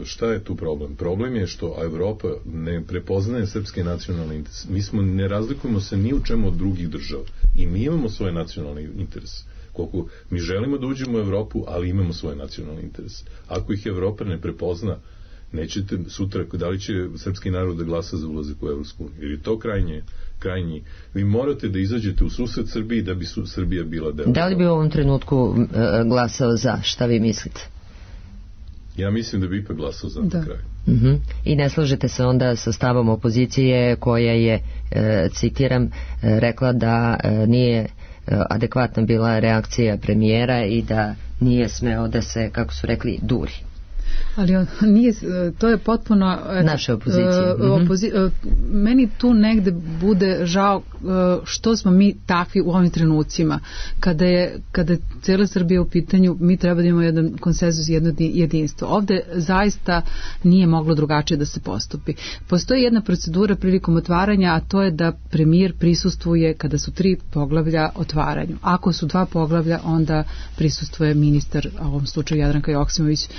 šta je tu problem? Problem je što Evropa ne prepoznaje srpske nacionalne interese. Ne razlikujemo se ni u čemu od drugih država i mi imamo svoje nacionalne interese. Koliko mi želimo da uđemo u Evropu, ali imamo svoje nacionalne interese. Ako ih Evropa ne prepozna, nećete sutra, da li će srpski narod da glasa za ulazak u Evropsku uniju? Jer je to krajnji. Vi morate da izađete u susret Srbiji da bi Srbija bila deo. Da li bi u ovom trenutku glasao za? Šta vi mislite? Ja mislim da bi ipak glasao za na kraju. I ne slažete se onda sa stavom opozicije koja je, citiram, rekla da nije adekvatna bila reakcija premijera i da nije smeo da se, kako su rekli, duri. Ali nije, to je potpuno naše opozicije. Meni tu negde bude žao što smo mi takvi u ovim trenucima. Kada je cijela Srbija u pitanju, mi treba da imamo jedan konsenzus, jedno jedinstvo. Ovde zaista nije moglo drugačije da se postupi. Postoji jedna procedura prilikom otvaranja, a to je da premijer prisustvuje kada su 3 poglavlja otvaranju. Ako su 2 poglavlja, onda prisustvuje ministar, a u ovom slučaju Jadranka Joksimović,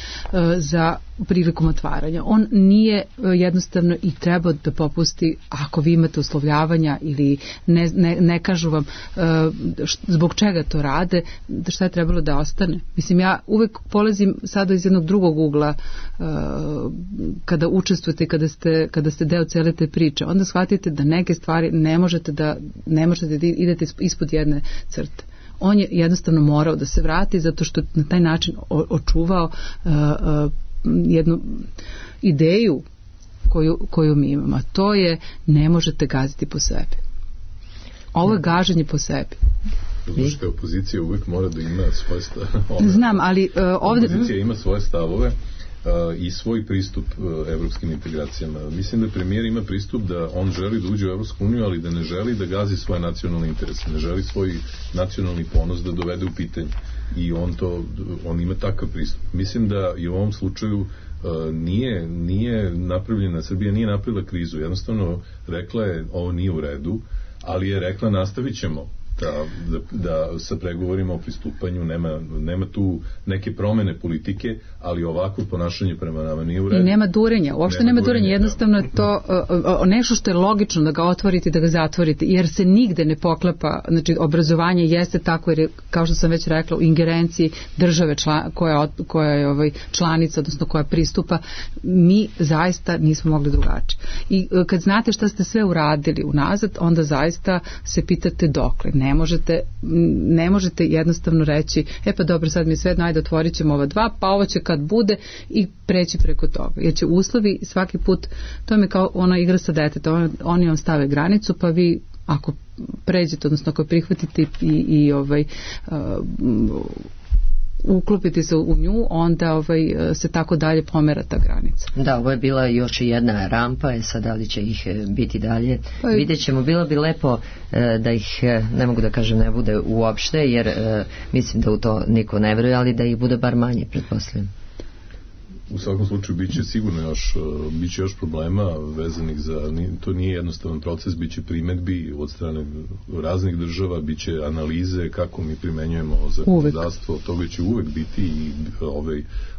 za prilikom otvaranja. On nije jednostavno i treba da popusti ako vi imate uslovljavanja ili ne kažu vam zbog čega to rade, šta je trebalo da ostane. Mislim, ja uvek polazim sada iz jednog drugog ugla kada učestvujete, kada ste deo cele te priče. Onda shvatite da neke stvari ne možete da idete ispod jedne crte. On je jednostavno morao da se vrati zato što na taj način očuvao jednu ideju koju mi imamo. To je ne možete gaziti po sebi. Ovo je gaženje po sebi. Zato što opozicija uvek mora da ima svoje stavove. Znam, ali ovdje... Opozicija ima svoje stavove i svoj pristup evropskim integracijama. Mislim da premijer ima pristup da on želi da uđe u Evropsku uniju, ali da ne želi da gazi svoje nacionalne interese, ne želi svoj nacionalni ponos da dovede u pitanje. I on ima takav pristup. Mislim da i u ovom slučaju nije napravljena, Srbija nije napravila krizu, jednostavno rekla je ovo nije u redu, ali je rekla nastavit ćemo da sa pregovorima o pristupanju nema tu neke promene politike, ali ovako ponašanje prema nama nije u redu. I nema durenja, uopšte nema durenja, jednostavno je to nešto što je logično da ga otvorite i da ga zatvorite, jer se nigde ne poklapa, znači obrazovanje jeste tako, jer je, kao što sam već rekla, u ingerenciji države koja je članica, odnosno koja pristupa, mi zaista nismo mogli drugačije. I kad znate šta ste sve uradili unazad, onda zaista se pitate dokle. Ne možete jednostavno reći pa dobro, sad mi sve ajde otvorit ćemo ova 2, pa ovo će kad bude i preći preko toga. Jer će uslovi svaki put, to je kao ona igra sa detetom, oni vam stave granicu, pa vi ako pređete, odnosno ako prihvatite i uklopiti se u nju, onda se tako dalje pomera ta granica. Da, ovo je bila još jedna rampa, sad da li će ih biti dalje. Vidjet ćemo, bilo bi lepo da ih, ne mogu da kažem ne bude uopšte, jer mislim da u to niko ne veruje, ali da ih bude bar manje, pretpostavljam. U svakom slučaju biće sigurno još problema vezanih za, to nije jednostavan proces, biće primedbi od strane raznih država, biće analize kako mi primenjujemo zakonodavstvo, toga će uvek biti i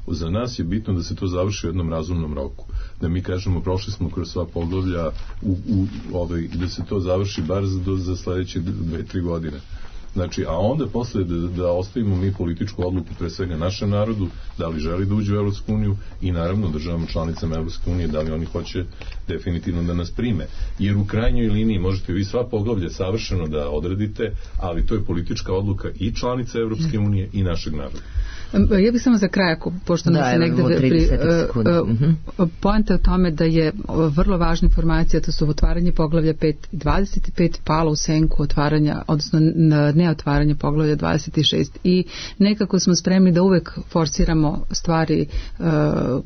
za nas je bitno da se to završi u jednom razumnom roku. Da mi kažemo prošli smo kroz sva poglavlja da se to završi bar za sledeće 2-3 godine. Znači, a onda posle da ostavimo mi političku odluku pre svega našem narodu, da li želi da uđe u Evropsku uniju i naravno državama članicama Evropske unije, da li oni hoće definitivno da nas prime. Jer u krajnjoj liniji možete vi sva poglavlja savršeno da odredite, ali to je politička odluka i članica Evropske unije i našeg naroda. Ja bih samo za kraj, pošto nas se negde poenta je o tome da je vrlo važna informacija, to su otvaranje poglavlja 5 i 25 palo u senku otvaranja, odnosno neotvaranje poglavlja 26 i nekako smo spremni da uvek forsiramo stvari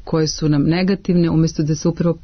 koje su nam negativne, umjesto da se upravo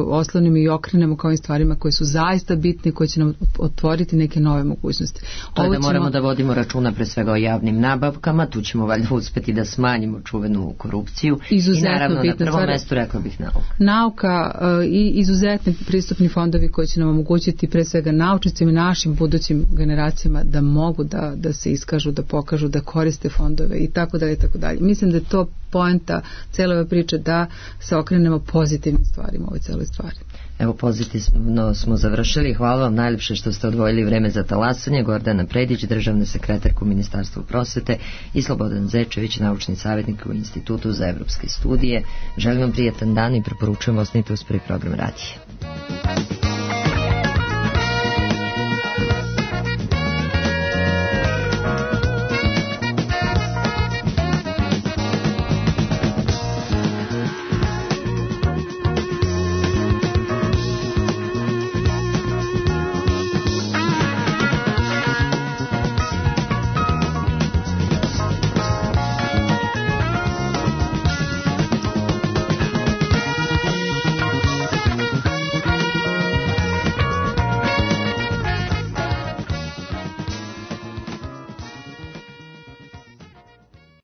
oslonimo i okrenemo kao i stvarima koje su zaista bitne, koje će nam otvoriti neke nove mogućnosti. To je da moramo da vodimo računa pre svega o javnim nabavkama, tu ćemo valjda uspeti da smanjimo čuvenu korupciju. Izuzetno i naravno bitna na prvom mestu rekla bih nauka i izuzetni pristupni fondovi koji će nam omogućiti pre svega naučnicima i našim budućim generacijama da mogu da se iskažu, da pokažu, da koriste fondove i tako dalje i tako dalje. Mislim da je to poenta cijele ove priče, da se okrenemo pozitivnim stvarima u ovoj cijeloj stvari. Evo, pozitivno smo završili. Hvala vam najljepše što ste odvojili vreme za talasanje. Gordana Predić, državna sekretarka u Ministarstvu prosvete, i Slobodan Zečević, naučni savjetnik u Institutu za evropske studije. Želim vam prijatan dan i preporučujem osnite uz prvi program radija.